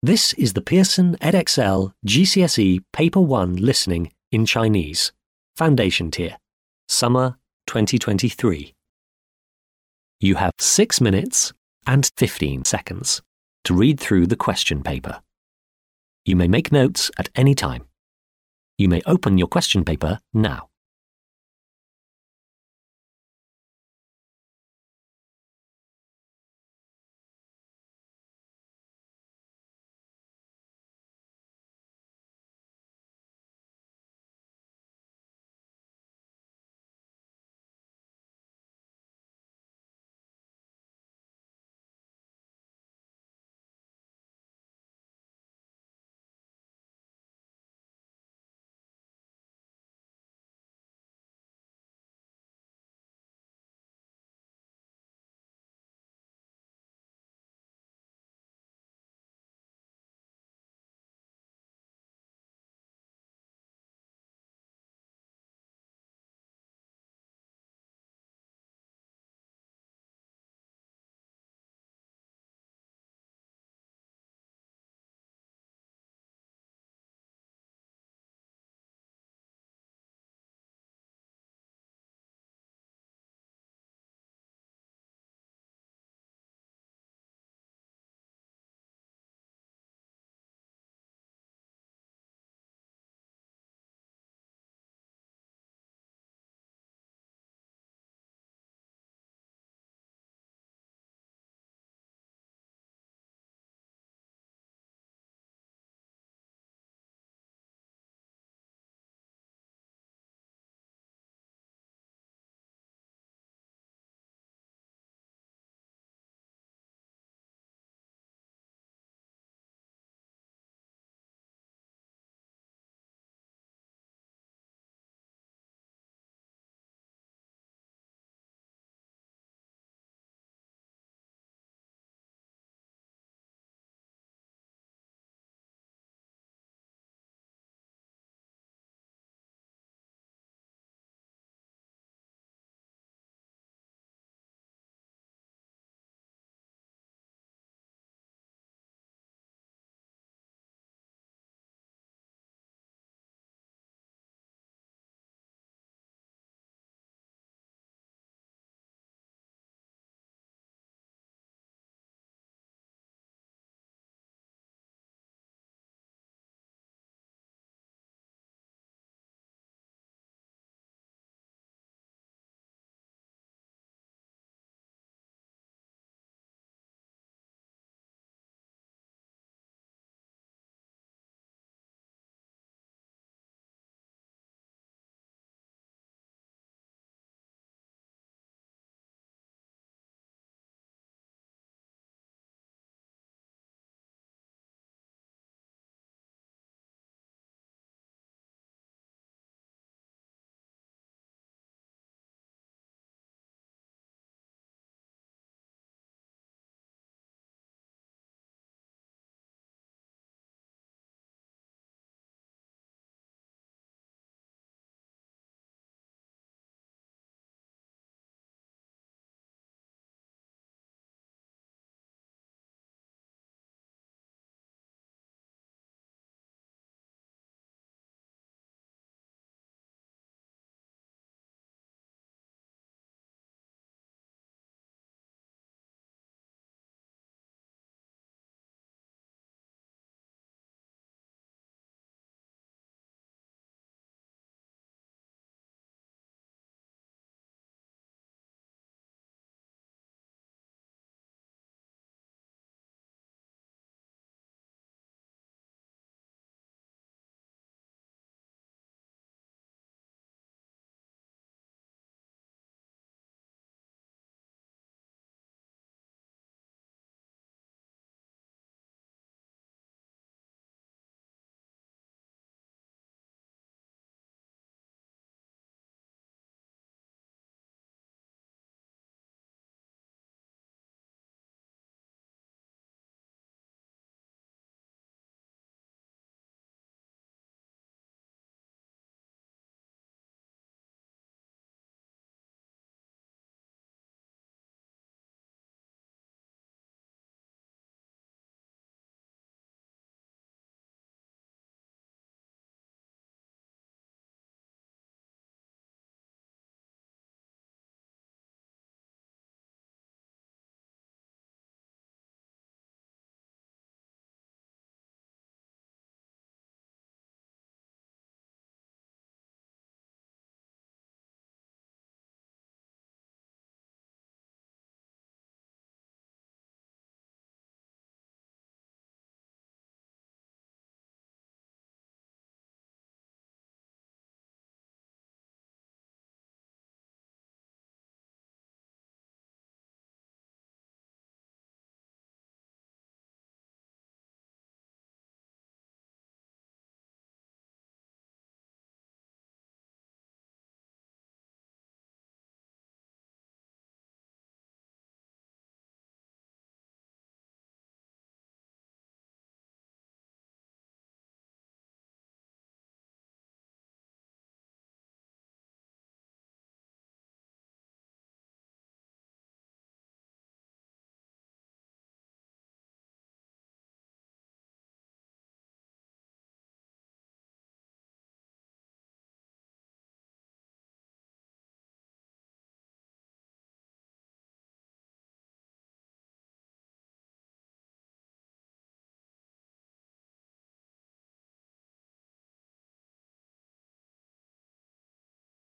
This is the Pearson Edexcel GCSE Paper 1 Listening in Chinese, Foundation Tier, Summer 2023. You have 6 minutes and 15 seconds to read through the question paper. You may make notes at any time. You may open your question paper now.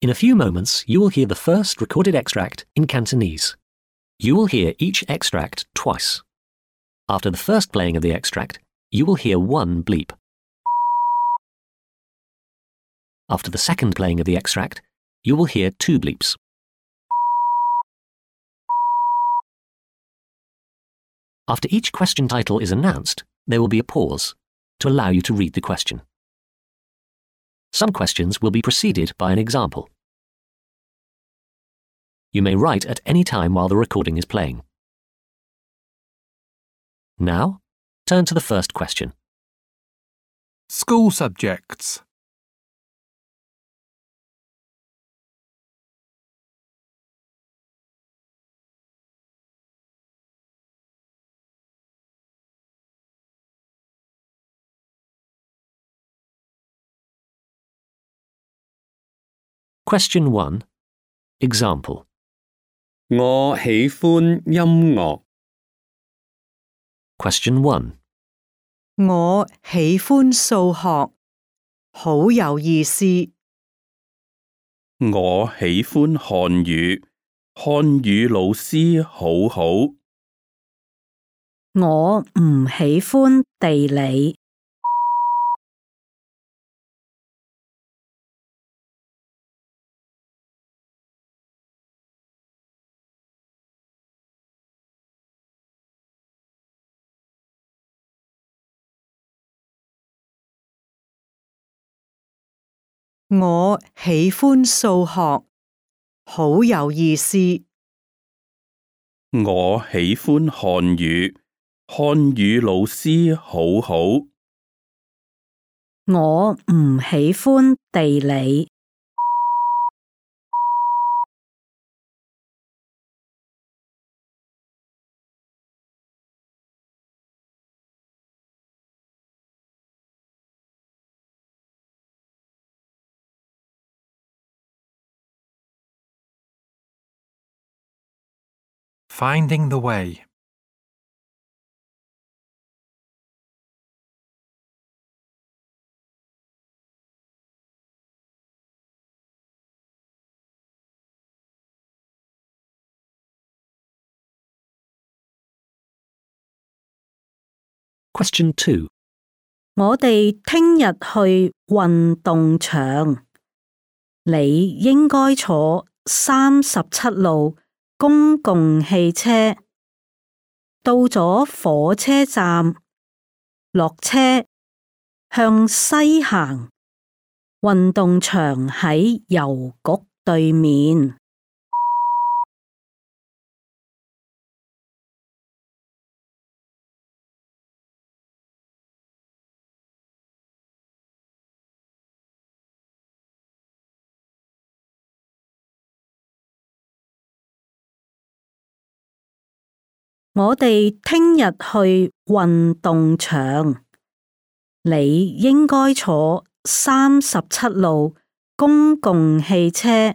In a few moments, you will hear the first recorded extract in Cantonese. You will hear each extract twice. After the first playing of the extract, you will hear one bleep. After the second playing of the extract, you will hear two bleeps. After each question title is announced, there will be a pause to allow you to read the question. Some questions will be preceded by an example. You may write at any time while the recording is playing. Now, turn to the first question. School subjects. Question 1. Example. 我喜歡音樂。 Question 1. 我喜歡數學，好有意思。我喜歡漢語，漢語老師好好。我唔喜歡地理。我喜歡數學，好有意思。我喜歡漢語，漢語老師好好。我唔喜歡地理。Finding the way. Question 2. 我哋聽日去運動場，你應該坐37路公共汽車，到咗火車站，落車，向西行，運動場喺郵局對面。我哋聽日去運動場，你應該坐37路公共汽車，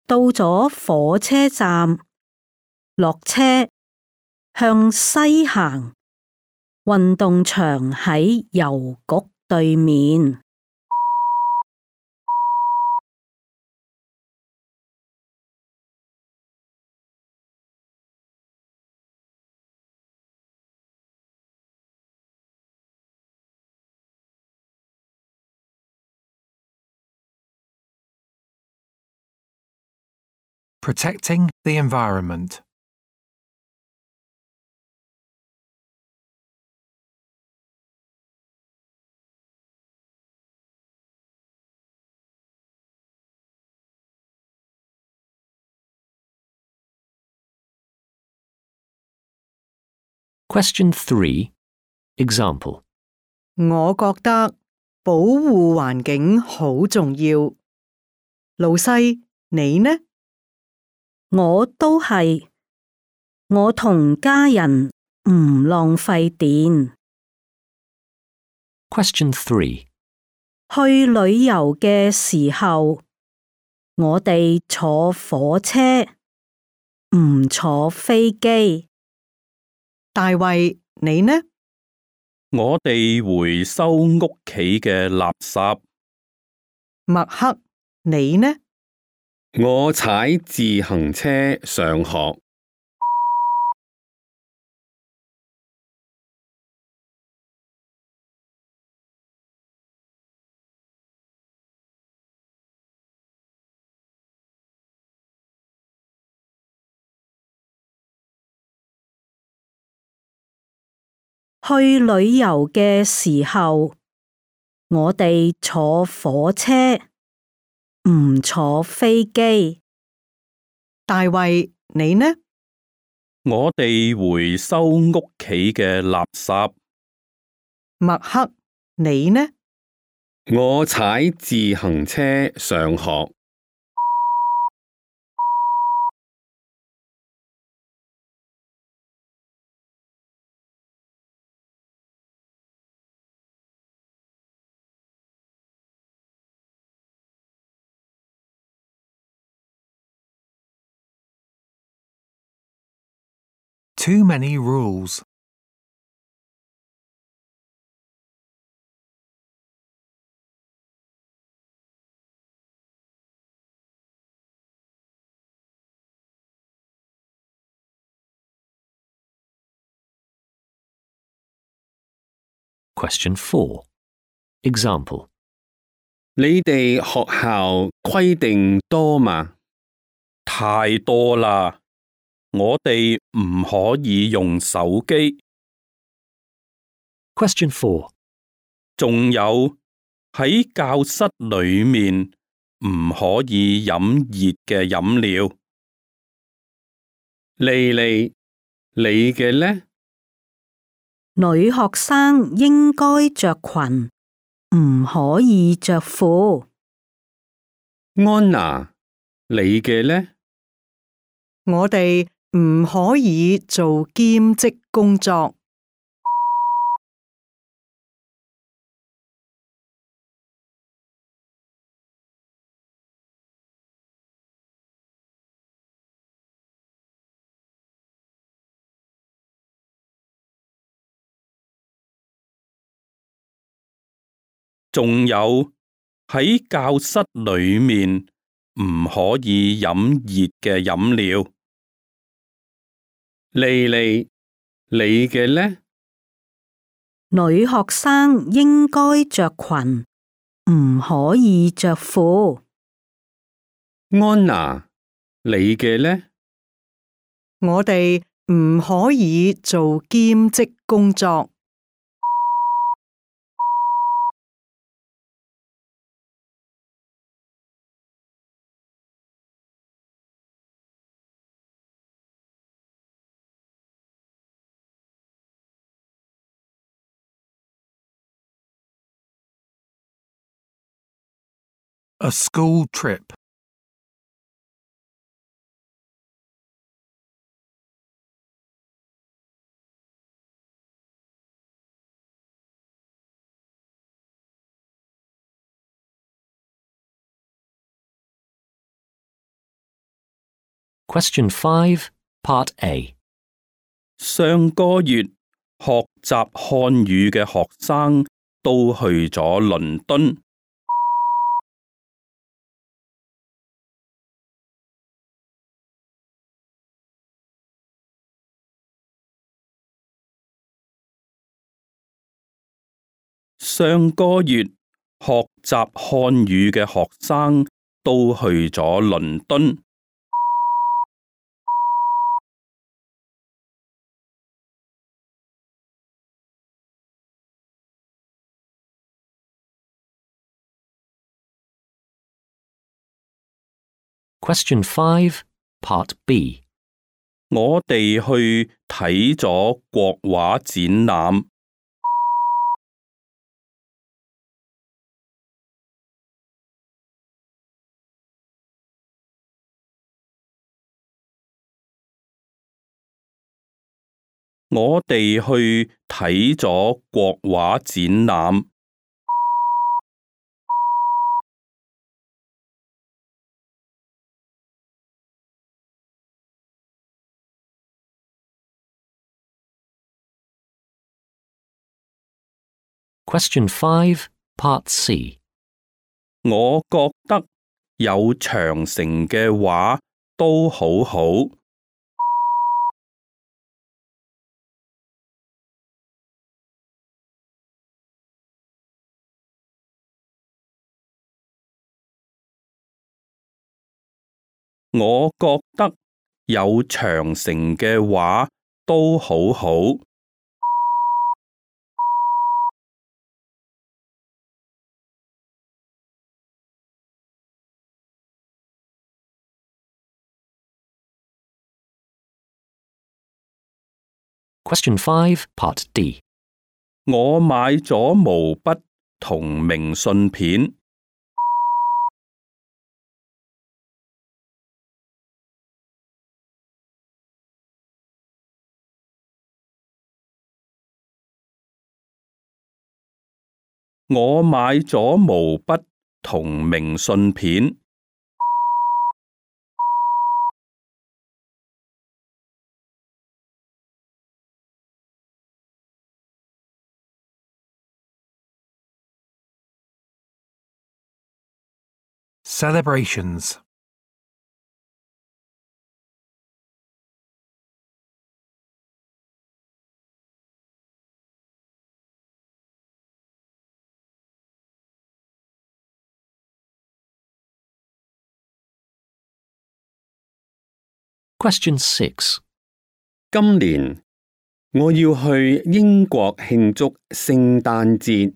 到咗火車站，落車，向西行，運動場喺郵局對面。Protecting the environment. Question 3. Example. 我覺得保護環境好重要。老細，你呢？我都係，我同家人唔浪費電。Question 3. 去旅遊嘅時候，我哋坐火車，唔坐飛機。大衛，你呢？我哋回收屋企嘅垃圾。麥克，你呢？我踩自行車上學。去旅遊嘅時候，我哋坐火車，唔坐飛機。大衛，你呢？我哋回收屋企嘅垃圾。麥克，你呢？我踩自行車上學。Too many rules. Question 4. Example. 你哋學校規定多嗎？太多啦，我哋唔可以用手機。Question 4. 仲有喺教室裏面唔可以飲熱嘅飲料。莉莉，你嘅呢？女學生應該着裙，唔可以着褲。安娜，你嘅呢？我哋唔可以做兼職工作。仲有喺教室裏面唔可以飲熱嘅飲料。莉莉，你嘅呢？女學生應該着裙，唔可以着褲。安娜，你嘅呢？我哋唔可以做兼職工作。A school trip. Question 5, Part A. 上個月學習漢語嘅學生都去咗倫敦。上個月學習漢語嘅學生都去咗倫敦。Question 5, Part B. 我哋去睇咗國畫展覽。我哋去睇咗國畫展覽。Question 5, Part C. 我覺得有長城嘅話都好好。我覺得有長城嘅話都好好。Question 5, Part D. 我買咗毛筆同明信片。我買咗毛筆同明信片。Celebrations. Question 6. 今年我要去英國慶祝聖誕節，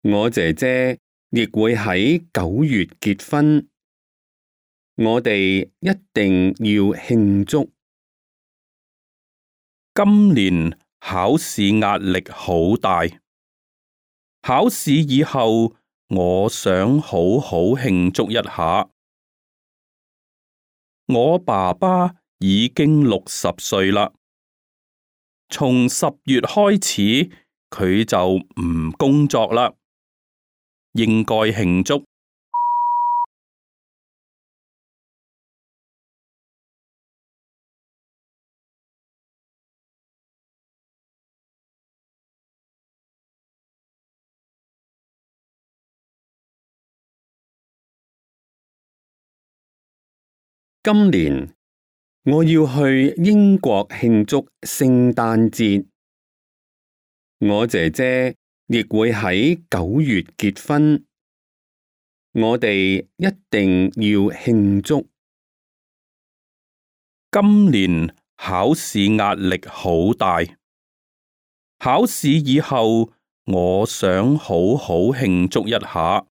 我姐姐亦會喺9月結婚，我哋一定要慶祝。今年考試壓力好大，考試以後我想好好慶祝一下。我爸爸已經60歲啦，從10月開始佢就唔工作啦，應該慶祝。今年我要去英國慶祝聖誕節，我姐姐亦會喺9月結婚，我哋一定要慶祝。今年考試壓力好大，考試以後我想好好慶祝一下。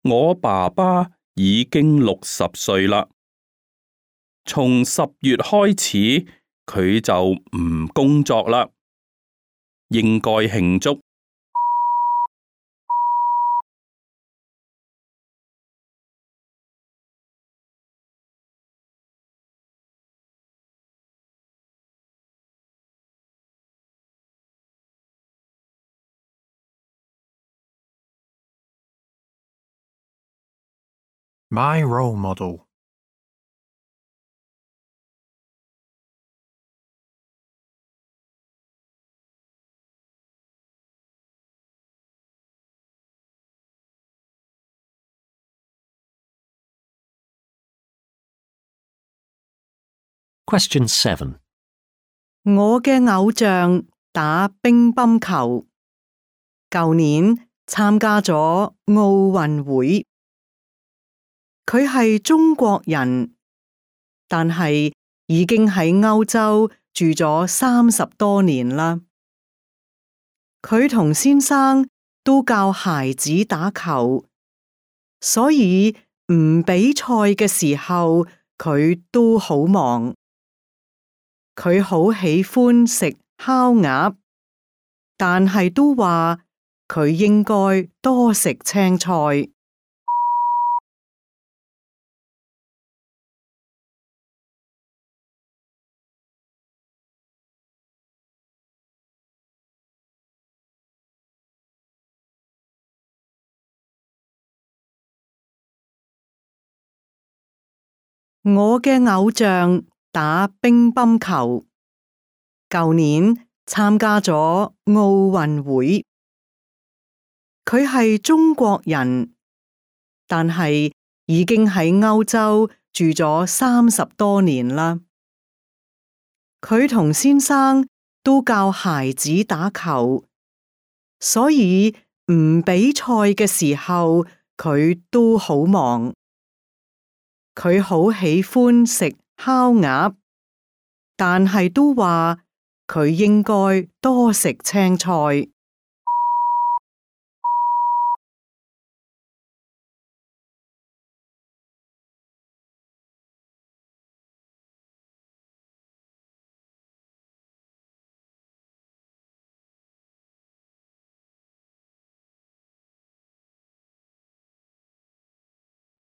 我爸爸已經60歲啦，從10月開始佢就唔工作啦，應該慶祝。My role model. Question 7. 我嘅偶像打乒乓球，舊年參加咗奧運會。佢係中國人，但係已經喺歐洲住咗30多年啦。佢同先生都教孩子打球，所以唔比賽嘅時候，佢都好忙。佢好喜歡食烤鴨，但係都話佢應該多食青菜。我嘅偶像打乒乓球，舊年參加咗奧運會。佢係中國人，但係已經喺歐洲住咗30多年啦。佢同先生都教孩子打球，所以唔比賽嘅時候，佢都好忙。佢好喜歡食烤鴨，但係都話佢應該多食青菜。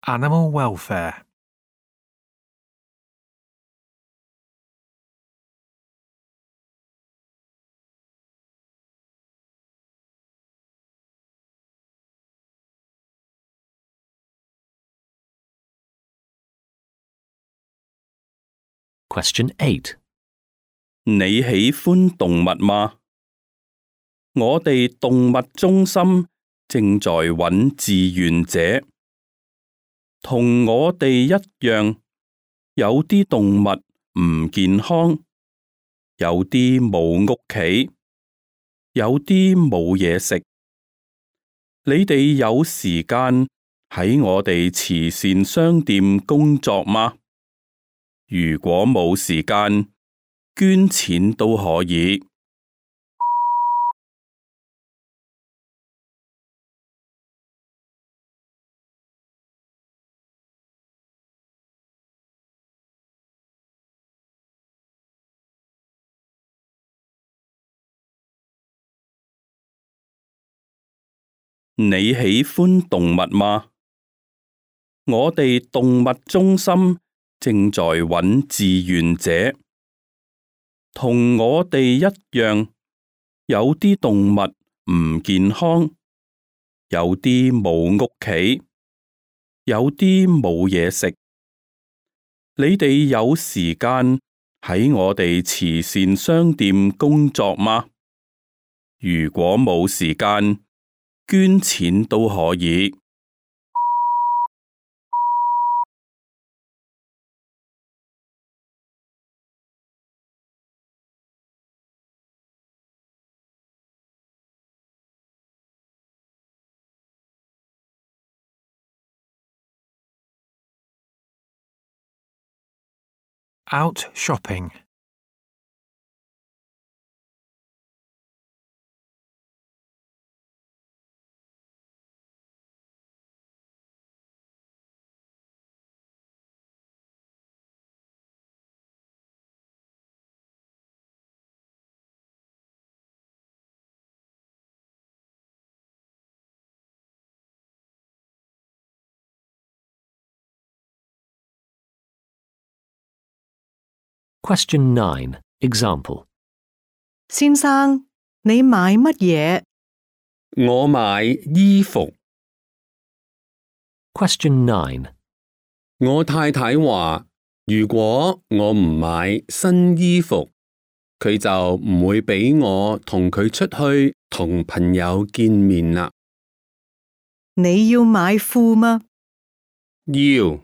Animal welfare. Question 8. 你喜歡動物嗎？我哋動物中心正在揾志願者，同我哋一樣，有啲動物唔健康，有啲冇屋企，有啲冇嘢食。你哋有時間喺我哋慈善商店工作嗎？如果冇時間，捐錢都可以。你喜歡動物嗎？我哋動物中心正在揾志願者，同我哋一樣，有啲動物唔健康，有啲冇屋企，有啲冇嘢食。你哋有時間喺我哋慈善商店工作嗎？如果冇時間，捐錢都可以。Out shopping. Question 9. Example. 先生，你買乜嘢？我買衣服。Question 9. 我太太話，如果我唔買新衣服，佢就唔會俾我同佢出去同朋友見面啦。你要買褲嗎？要，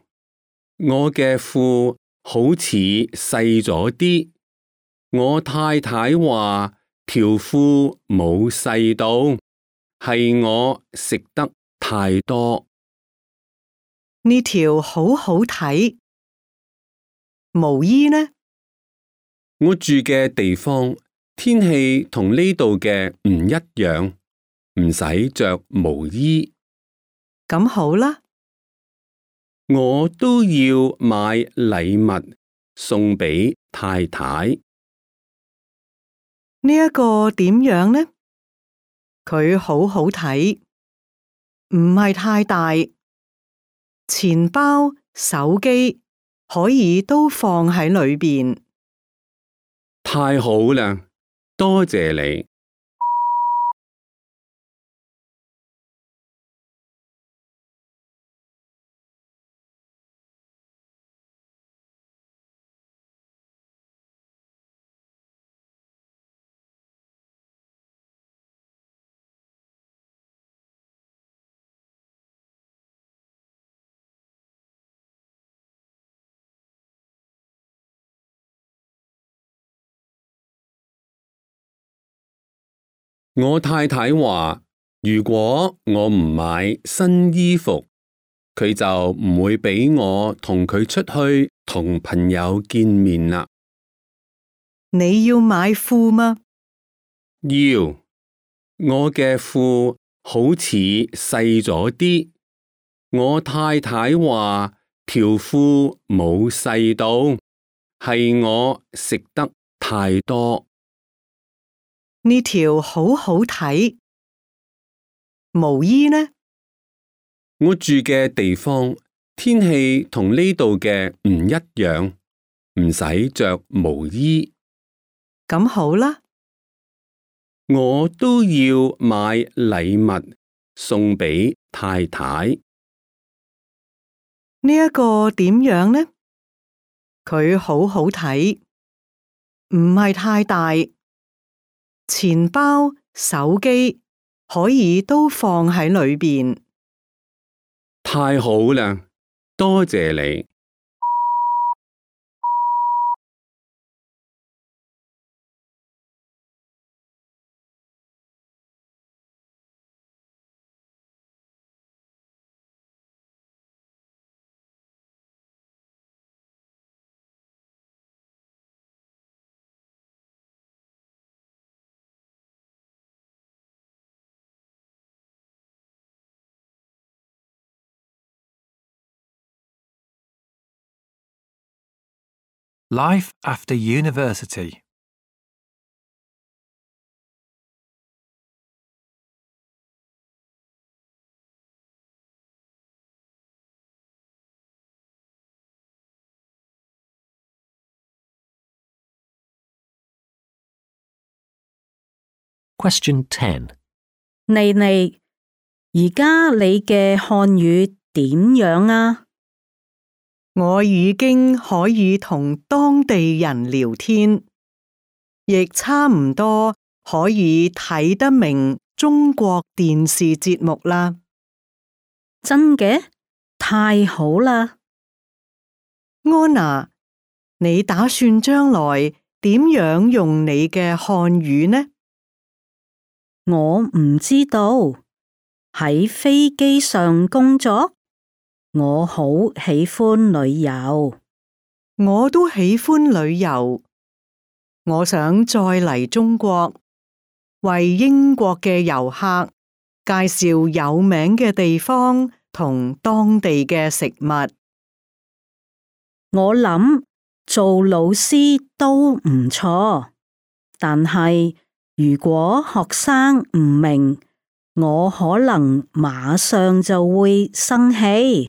我嘅褲好似細咗啲。我太太話條褲冇細到，係我食得太多。呢條好好睇。毛衣呢？我住嘅地方天氣同呢度嘅唔一樣，唔使着毛衣。咁好啦。我都要買禮物送俾太太。呢一個點樣呢？佢好好睇，唔係太大。錢包、手機可以都放喺裏邊。太好啦，多謝你。我太太話，如果我唔買新衣服，佢就唔會俾我同佢出去同朋友見面啦。你要買褲嗎？要，我嘅褲好似細咗啲。我太太話條褲冇細到，係我食得太多。呢條好好睇。毛衣呢？我住嘅地方天氣同呢度嘅唔一樣，唔使着毛衣。咁好啦，我都要買禮物送俾太太。呢一個點樣呢？佢好好睇，唔係太大，錢包、手機可以都放喺裏邊。太好啦，多謝你。Life after university. Question 10. 妮妮，而家你嘅漢語點樣啊？我已經可以同當地人聊天，亦差唔多可以睇得明中國電視節目啦。真嘅？太好啦！安娜，你打算將來點樣用你嘅漢語呢？我唔知道。喺飛機上工作，我好喜歡旅遊。我都喜歡旅遊，我想再嚟中國，為英國嘅遊客介紹有名嘅地方同當地嘅食物。我諗做老師都唔錯，但係如果學生唔明，我可能馬上就會生氣。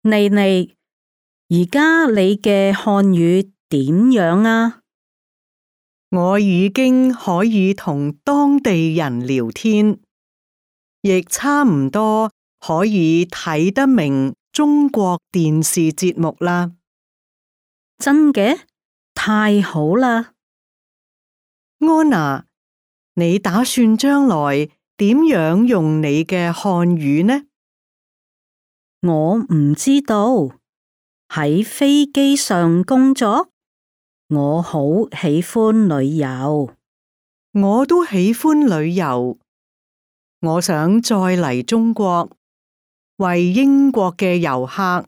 妮妮，而家你嘅漢語點樣啊？我已經可以同當地人聊天，亦差唔多可以睇得明中國電視節目啦。真嘅？太好啦！安娜，你打算將來點樣用你嘅漢語呢？我唔知道。喺飛機上工作，我好喜歡旅遊。我都喜歡旅遊，我想再嚟中國，為英國嘅遊客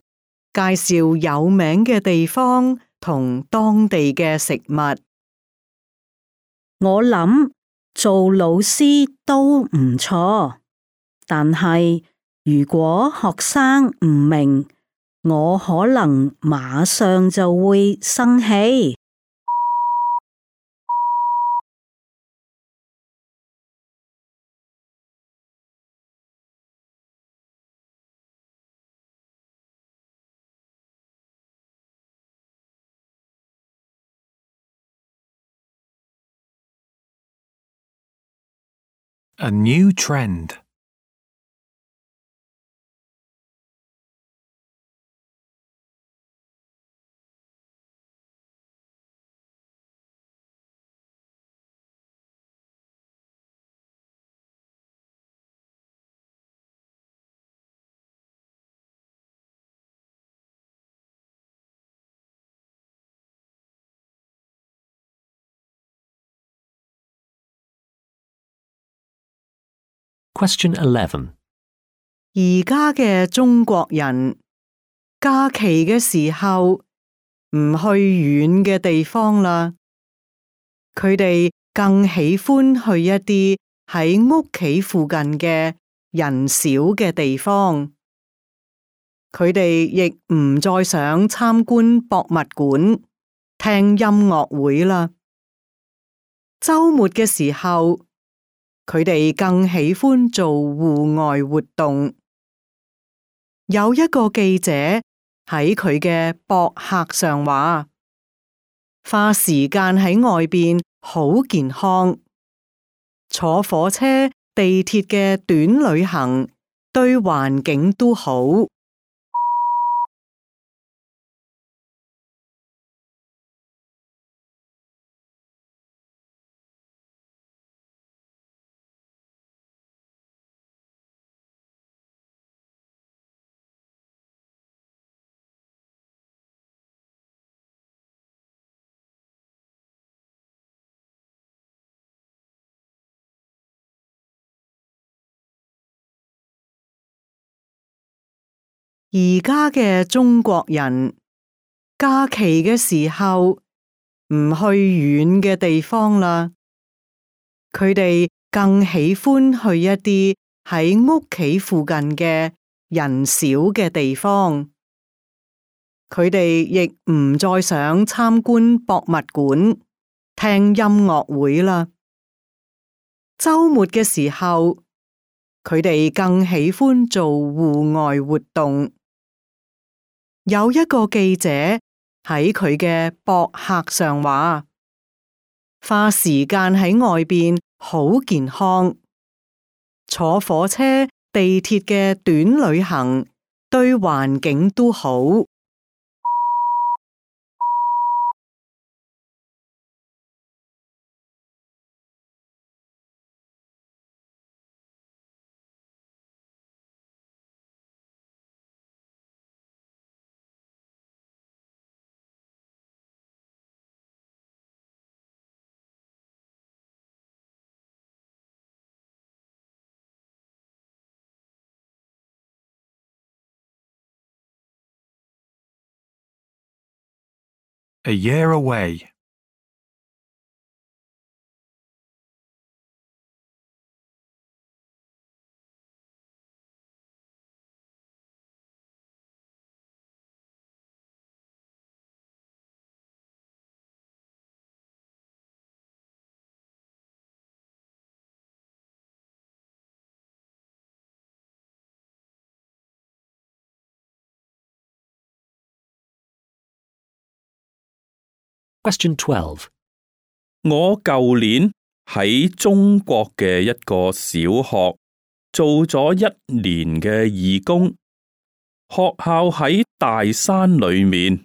介紹有名嘅地方同當地嘅食物。我諗做老師都唔錯，但係如果學生唔明，我可能馬上就會生氣。A new trend. Question 11. 而家嘅中國人假期嘅時候唔去遠嘅地方啦，佢哋更喜歡去一啲喺屋企附近嘅人少嘅地方。佢哋亦唔再想參觀博物館、聽音樂會啦。週末嘅時候，佢哋更喜歡做戶外活動。有一個記者喺佢嘅博客上話，花時間喺外邊好健康，坐火車、地鐵嘅短旅行對環境都好。而家嘅中國人假期嘅時候唔去遠嘅地方啦，佢哋更喜歡去一啲喺屋企附近嘅人少嘅地方。佢哋亦唔再想參觀博物館、聽音樂會啦。週末嘅時候，佢哋更喜歡做戶外活動。有一個記者喺佢嘅博客上話，花時間喺外邊好健康，坐火車、地鐵嘅短旅行對環境都好。A year away. Question 12. 我舊年喺中國嘅一個小學做咗1年嘅義工，學校喺大山裏面，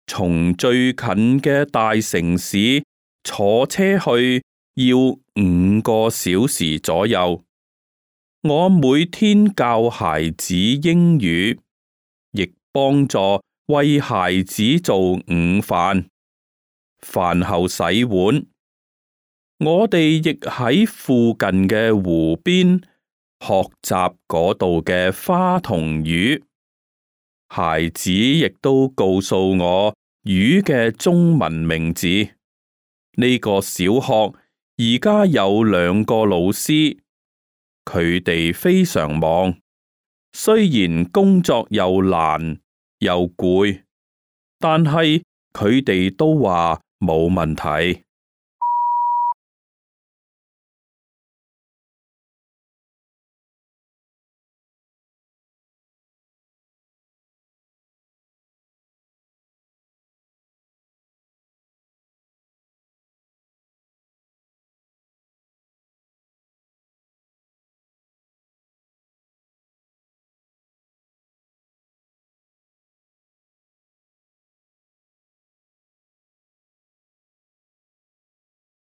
從最近嘅大城市坐車去要5個小時左右。我每天教孩子英語，亦幫助為孩子做午飯。飯後洗碗，我哋亦喺附近嘅湖邊學習嗰度嘅花同魚。孩子亦都告訴我魚嘅中文名字。呢個小學而家有2個老師，佢哋非常忙，雖然工作又難又攰，但係佢哋都話冇問題。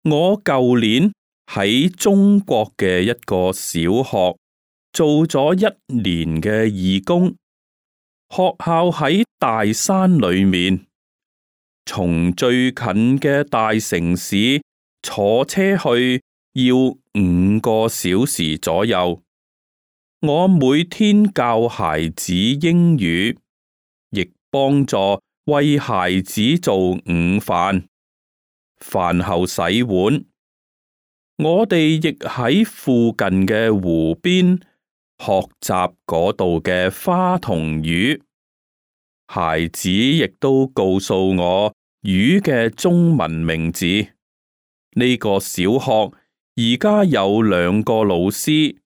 我舊年喺中國嘅一個小學做咗1年嘅義工，學校喺大山裏面，從最近嘅大城市坐車去要5個小時左右。我每天教孩子英語，亦幫助為孩子做午飯，飯後洗碗。我哋亦喺附近嘅湖邊學習嗰度嘅花同魚。孩子亦都告訴我魚嘅中文名字。呢個小學而家有2個老師，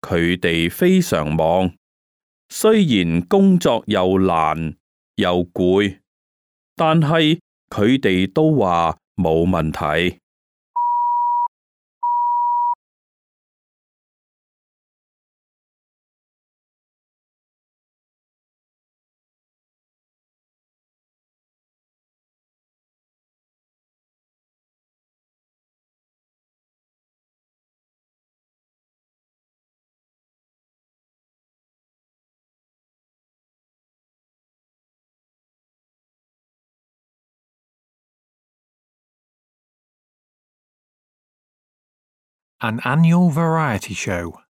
佢哋非常忙，雖然工作又難又攰，但係佢哋都話冇問題。An annual variety show.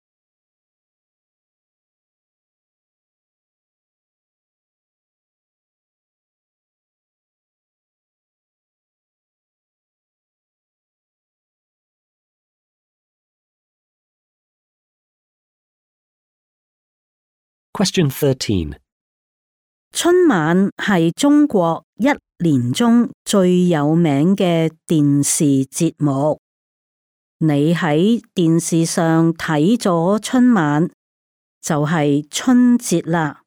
Question 13. 春晚係中國一年中最有名嘅電視節目。你喺電視上睇咗春晚，就係春節啦。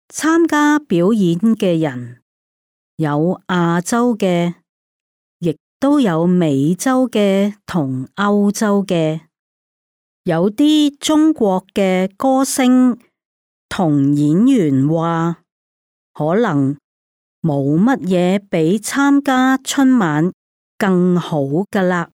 參加表演嘅人有亞洲嘅，亦都有美洲嘅同歐洲嘅。有啲中國嘅歌星同演員話，可能冇乜嘢比參加春晚更好㗎喇。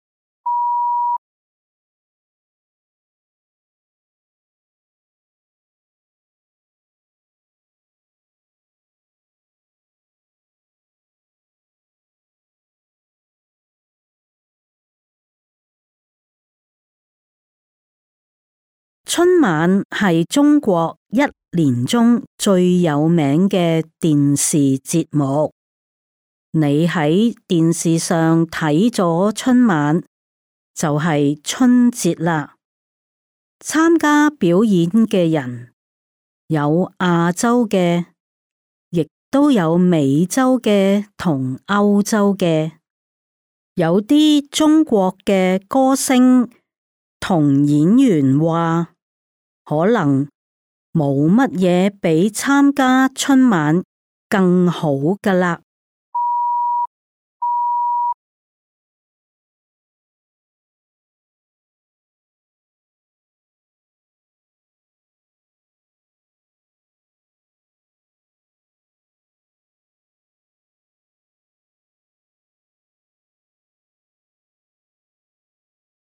春晚係中國一年中最有名嘅電視節目。你喺電視上睇咗春晚，就係春節啦。參加表演嘅人有亞洲嘅，亦都有美洲嘅同歐洲嘅。有啲中國嘅歌星同演員話，可能冇乜嘢比參加春晚更好㗎喇。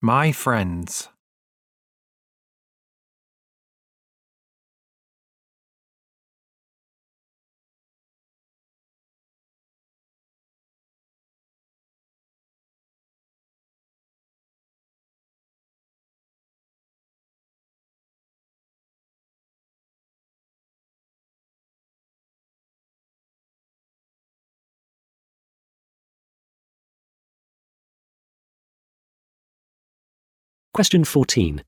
My friends. Question 14.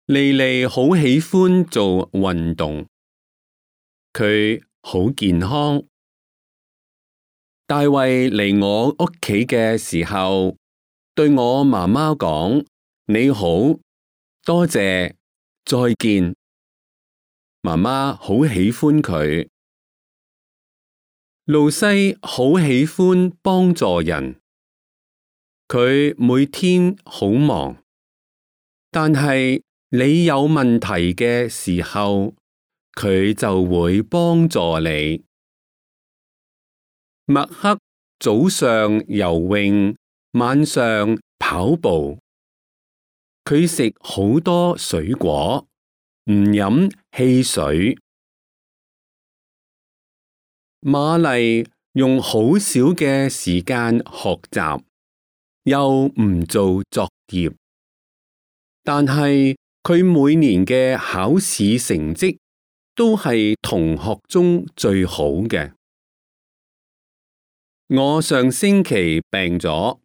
莉莉好喜歡做運動，佢好健康。大衛嚟我屋企嘅時候，對我媽媽講：你好，多謝，再見。媽媽好喜歡佢。露西好喜歡幫助人，佢每天好忙。但係你有問題嘅時候，佢就會幫助你。麥克早上游泳，晚上跑步。佢食好多水果，唔飲汽水。瑪麗用好少嘅時間學習，又唔做作業，但係佢每年嘅考試成績都係同學中最好嘅。我上星期病咗，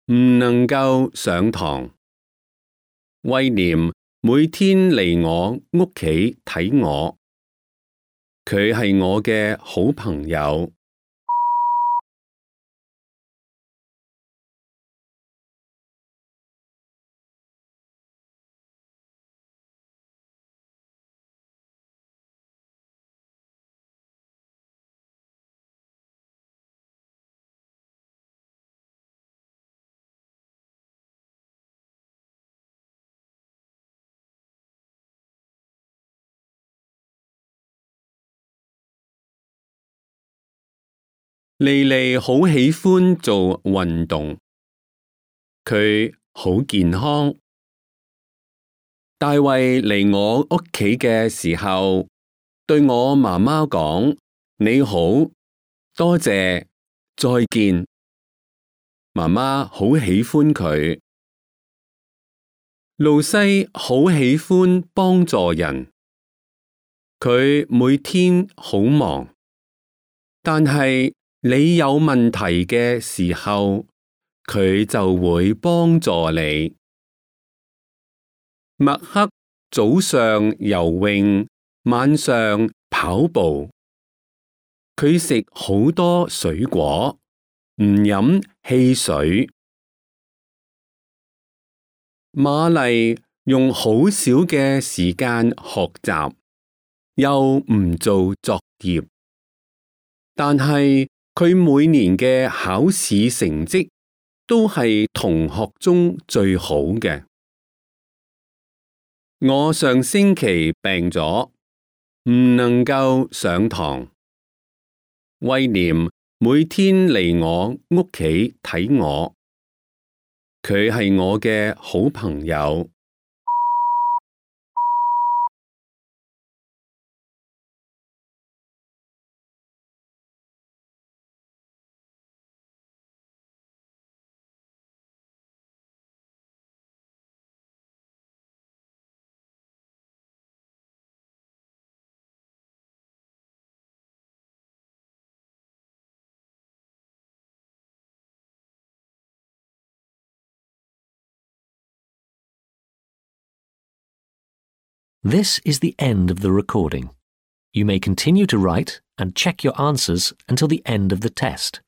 唔能夠上堂。威廉每天嚟我屋企睇我，佢係我嘅好朋友。莉莉好喜歡做運動，佢好健康。大衛嚟我屋企嘅時候，對我媽媽講：你好，多謝，再見。媽媽好喜歡佢。露西好喜歡幫助人，佢每天好忙，但係你有問題嘅時候，佢就會幫助你。麥克早上游泳，晚上跑步。佢食好多水果，唔飲汽水。瑪麗用好少嘅時間學習，又唔做作業，但係佢每年嘅考試成績都係同學中最好嘅。我上星期病咗，唔能夠上堂。威廉每天嚟我屋企睇我，佢係我嘅好朋友。This is the end of the recording. You may continue to write and check your answers until the end of the test.